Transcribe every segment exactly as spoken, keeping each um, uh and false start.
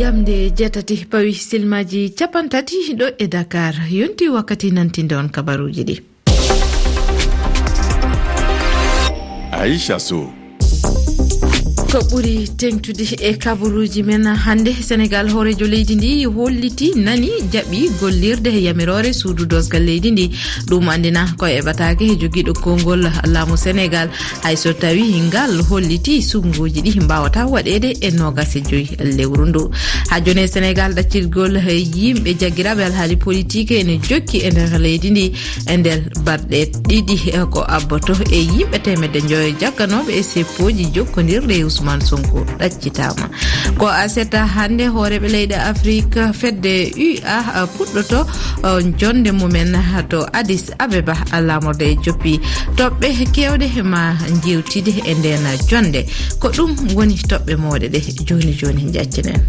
Nde jeetati pawi silmaaji capanɗe tati ɗo e Dakar. Yonti wakkati nantinde on kabaruuji ɗi. Aisha Sow. Ko ɓuri teŋtude e kabaruuji men hannde, Senegaal, hooreejo leydi ndi holliti, nani, jaɓi gollirde e yamiroore suudu doosgal leydi ndi. Ɗum anndina ko e ɓataake e jogiiɗo konngol laamu Senegaal, hay so tawi ngal holliti suɓngooji ɗi mbaawata waɗeede e noogas e joy lewru ndu. Haa jooni e Senegaal, ɗaccirgol yimɓe jaggiraaɓe alhaali politik ene jokki e nder leydi ndi. E nder balɗe ɗiɗi ko abboto e yimɓe teemedde njoyo jagganooɓe e seppooji jokkondirɗe e Ousmane Sonko ɗaccitaama. Ko aset hannde, hooreeɓe leyɗe Afrik fedde U A puɗɗoto, uh, jonde mumen to Addis Abeba, laamorde e joppi toɓɓe keewɗe ma jewtide e nden jonde. Ko ɗum woni toɓɓe mooɗe ɗe jooni jooni njaccinen.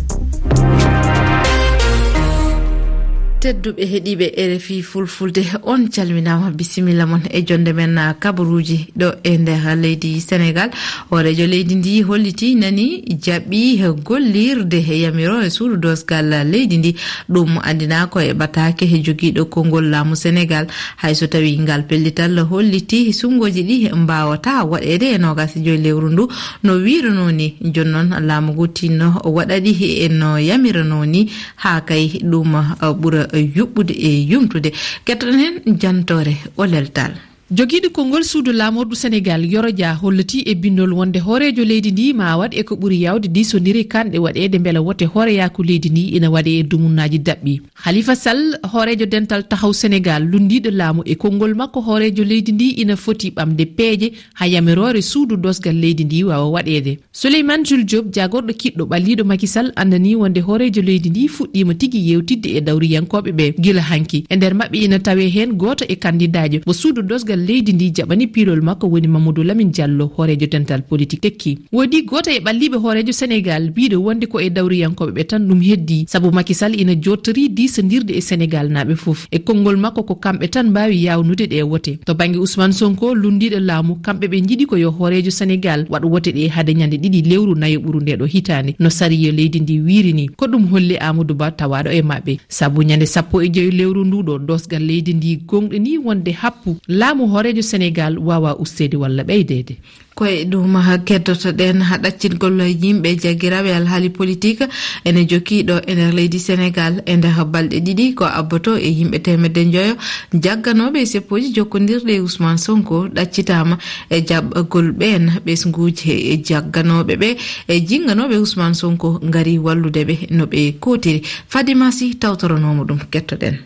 Tedduɓe heɗiiɓe R F I Fulfulde, on calminaama, bisimilla mon e jonde men, uh, kabaruuji ɗo e nder leydi Senegaal. Hooreejo leydi ndi holliti, nani, jaɓi gollirde e yamiroore suudu doosgal leydi ndi. Ɗum anndina ko e ɓataake e jogiiɗo konngol laamu Senegaal. Hay so tawi ngal pellital holliti suɓngooji ɗi mbaawata waɗeede e noogas e joy lewru ndu, no wiiruno ni, jooni noon laamu ngu tinno waɗa ɗi e no yamirano ni, haa kay ɗum, uh, ɓura yuɓɓude e yumtude. Kettoɗen heen jantoore o leltal. Jogiiɗo konngol suudu laamordu Senegaal, Yoro Dia, holliti e binndol wonde hooreejo leydi ndi ma waɗ e ko ɓuri yaawde diisondire kanɗe waɗeede mbela wote hooreyaaku leydi ndi ina waɗe e dumunnaaji daɓɓi. Khalifa Sall, hooreejo dental Taxaw Senegaal, lunndiiɗo laamu, e konngol makko, hooreejo leydi ndi ina foti ɓamde peeje haa yamiroore suudu doosgal leydi ndi waawa waɗeede. Souleymane Jules Diop, jaagorɗo kiɗɗo ɓalliiɗo Macky Sall, anndanii wonde hooreejo leydi ndi fuɗɗiima tigi yeewtidde e dawriyankooɓe ɓe gila hanki. E nder maɓɓe ina tawee heen gooto e kandidaajo mo suudu doosgal leydi ndi jaɓani piilol makko, woni Mamadou Lamine Diallo, hooreejo dental politik tekki. Woodi gooto e ɓalliiɓe hooreejo Senegaal biiɗo wonde ko e dawriyankooɓe ɓe tan ɗum heddii, sabu Macky Sall ina jooɗtorii diisondirde e Senegaalnaaɓe fof. E konngol makko, ko kamɓe tan mbaawi yaawnude ɗe wote. To bannge Ousmane Sonko, lunndiiɗo laamu, kamɓe ɓe njiɗi ko yo hooreejo Senegaal waɗ wote ɗe hade ñande ɗiɗi lewru nayo ɓuru nde ɗo hitaande, no sariya leydi ndi wiiri ni. Ko ɗum holli Amadou Ba, tawaaɗo e maɓɓe, sabu ñande sappo e joy lewru ndu ɗo doosgal leydi ndi gonɗini wonde happu laamu hooreejo Senegaal waawa usteede walla ɓeydeede. Ko e ɗum keddotoɗen haa ɗaccingol yimɓe jaggiraaɓe alhaali politik ene jokki ɗo e nder leydi Senegaal. E nder balɗe ɗiɗi ko abboto e yimɓe teemedde njoyo jagganooɓe e seppooji jokkondirɗe e Ousmane Sonko ɗaccitaama e jaɓɓagol ɓeen ɓesnguuji. E jagganooɓe ɓe, e jinnganooɓe Ousmane Sonko ngari wallude ɓe no ɓe kootiri. Fadima Sy tawtoranoomo ɗum, kettoɗen.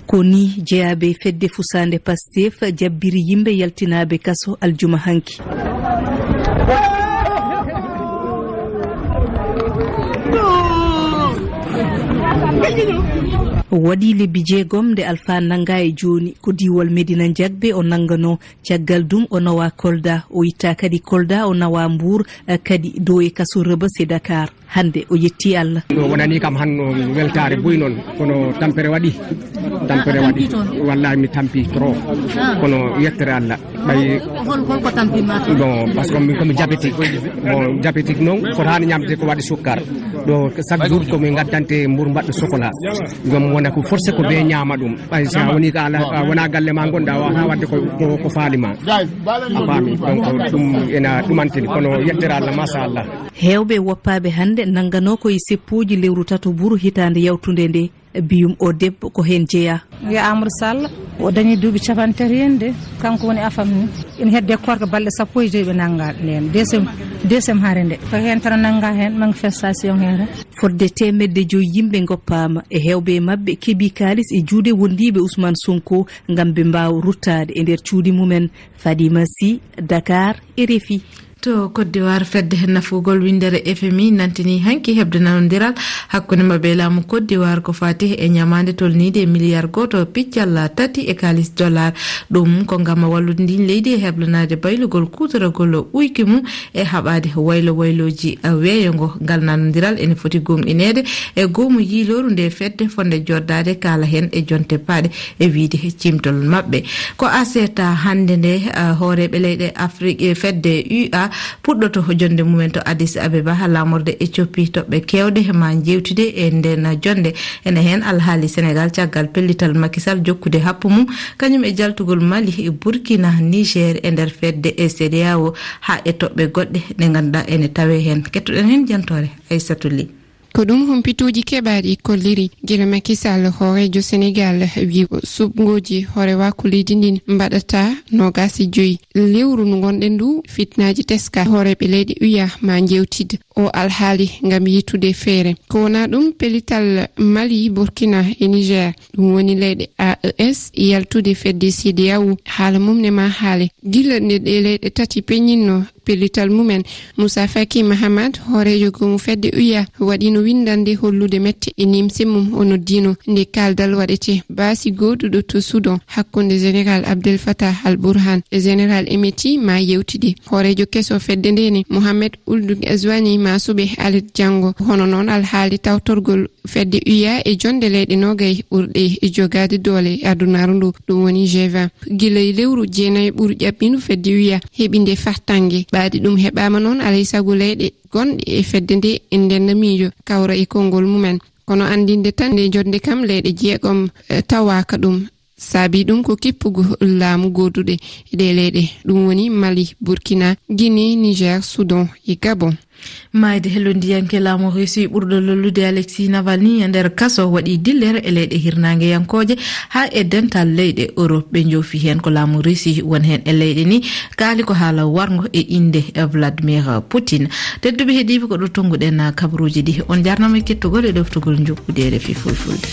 Ko ni jeyaaɓe fedde fusaande Pastef jabbiri yimɓe yaltinaaɓe kaso aljuma hanki. Waɗi lebbi jeegom nde Alpha nannga e jooni, ko diiwal Medina Njagbe o nannganoo. Caggal ɗum o nawa Kolda, o itta kadi Kolda, o nawa Mbuur, eh, kadi dow e kaso Rebes e Dakar. Hannde o yetti Allah. Ɗo wonani kam hannde weltaare buy noon, kono tampere waɗi. Tampere waɗi. Wallahi mi tampi trop. Ah. Kono yettere Allah. Ɓay hol, hol ko tampi ma? Bon, parce que min komi diabétique. Bon, diabétique noon, fotaani ñamde ko waɗi sukkar. Ɗo chaque jour ko min ngaddante mburu mbaɗɗo chocolat. Ɗum wona ko forcé ko ɓe ñaama ɗum. Ɓay so a woni ko ala, a wona galle ma ngonɗa, a waawata waɗde ko, ko, ko faali ma. A faami? Donc ɗum ena ɗumantini, kono yettere Allah, machallah. Heewɓe woppaaɓe hannde nannganoo ko e seppuuji lewru tato mburu hitaande yawtunde nde. Biyum o debbo ko heen jeyaa. Wiya Amadou Sall, o dañi duuɓi capanɗe tati heen de, kanko woni afam ni. Ina hedde korka balɗe sappo e joy ɓe nannga ndeen, deuxième, deuxième hare nde. Ko heen tan nannga heen, manifestation heen. Fodde teemedde joy yimɓe ngoppaama, e heewɓe e maɓɓe keɓi kaalis e juuɗe wondiiɓe Ousmane Sonko ngam ɓe mbaawa ruttaade e nder cuuɗi mumen. Fadima Sy, Dakar, R F I. To Côte d'Ivoire, fedde nafugol winndere F M I nantini hanki heɓde nanondiral hakkunde maɓɓe e laamu Côte d'Ivoire ko faati e ñamaande tolniinde e miliyar gooto piccal tati e kaalis dollar. Ɗum ko ngam wallude ndin leydi e Sablanaade baylugol kuutoragol uyki mum e haɓaade waylo waylooji weeyo ngo. Ngal nanondiral ene foti gomɗineede e goomu yiilooru nde fedde fotnde joddaade kaala heen e jonte paaɗe e wiyde cimtol maɓɓe. Ko aseeta hannde nde, ah, hooreeɓe leyɗe Afrik e fedde U A puɗɗoto jonnde mumen to Addis Abeba haa laamorde Ethiopie. Toɓɓe keewɗe ma njeewtide e nden jonnde. Ene heen alhaali Senegal caggal pellital Macky Sall jokkude happu mum, kañum e jaltugol Mali, Burkina, Niger e nder fedde e C E D E A O, haa e toɓɓe goɗɗe ɗe ngannduɗaa ene tawee heen. Kettoɗen heen jantoore Aissatou Ly. Ko ɗum humpituuji keɓaaɗi kolliri. Gila Macky Sall, hooreejo Senegal, wi suɓngooji hoorewaaku leydi ndin mbaɗata noogaas e joyi lewru ndu ngonɗen ndu, fitnaaji teska. Hooreeɓe leyɗe U A ma njeewtid o alhaali ngam yiytude feere. Ko wonaa ɗum, pellital Mali, Burkina e Niger, ɗum woni leyɗe A E S, yaltude fedde C E D E A O, haala mum ne ma haale. Gila nde ɗe leyɗe tati peññinno pellital mumen, Moussa Faki Mahamat, hooreejo goomu fedde U A, waɗino winndannde hollude mette e nimse mum. O noddino nde kaaldal waɗete baasi gooduɗo to Soudan hakkunde Général Abdel Fattah al-Burhan e Général Hemedti ma yewtide. Hooreejo keso fedde nde ne, Mohamed Ould Ghazouani, ma suɓe alet janngo. Hono noon, alhaali tawtorgol fedde U A e jonde leyɗe noogay ɓurɗe jogaade doole adunaaru ndu, ɗum woni G vingt. Gila e lewru jeenayi ɓuru ƴaɓɓindu fedde U A heɓi nde fartaŋŋe. Ɓaadi ɗum heɓaama noon, alay sago leyɗe gonɗe e fedde nde e nden miijo kawra e konngol mumen. Kono anndinde tan nde jonde kam leyɗe jeegom, eh, tawaaka ɗum. Saabi ɗum ko kippugu laamu gooduɗe e ɗe leyɗe, ɗum woni Mali, Burkina, Guinée, Niger, Soudan e Gabon. Maayde hellondiyanke laamu Russie ɓurɗo lollude Alexei Navalny e nder kaso waɗi dillere e leyɗe hirnaangeyankooje haa e dental leyɗe Europe. Ɓe njoofi heen ko laamu Russie won heen e leyɗe ni kaali ko haala warngo e innde Vladimir Poutine. Tedduɓe heɗiiɓe, ko ɗo tonnguɗen kabaruuji ɗi. On jarnama e kettugol e ɗoftugol njuɓɓudi R F I Fulfulde.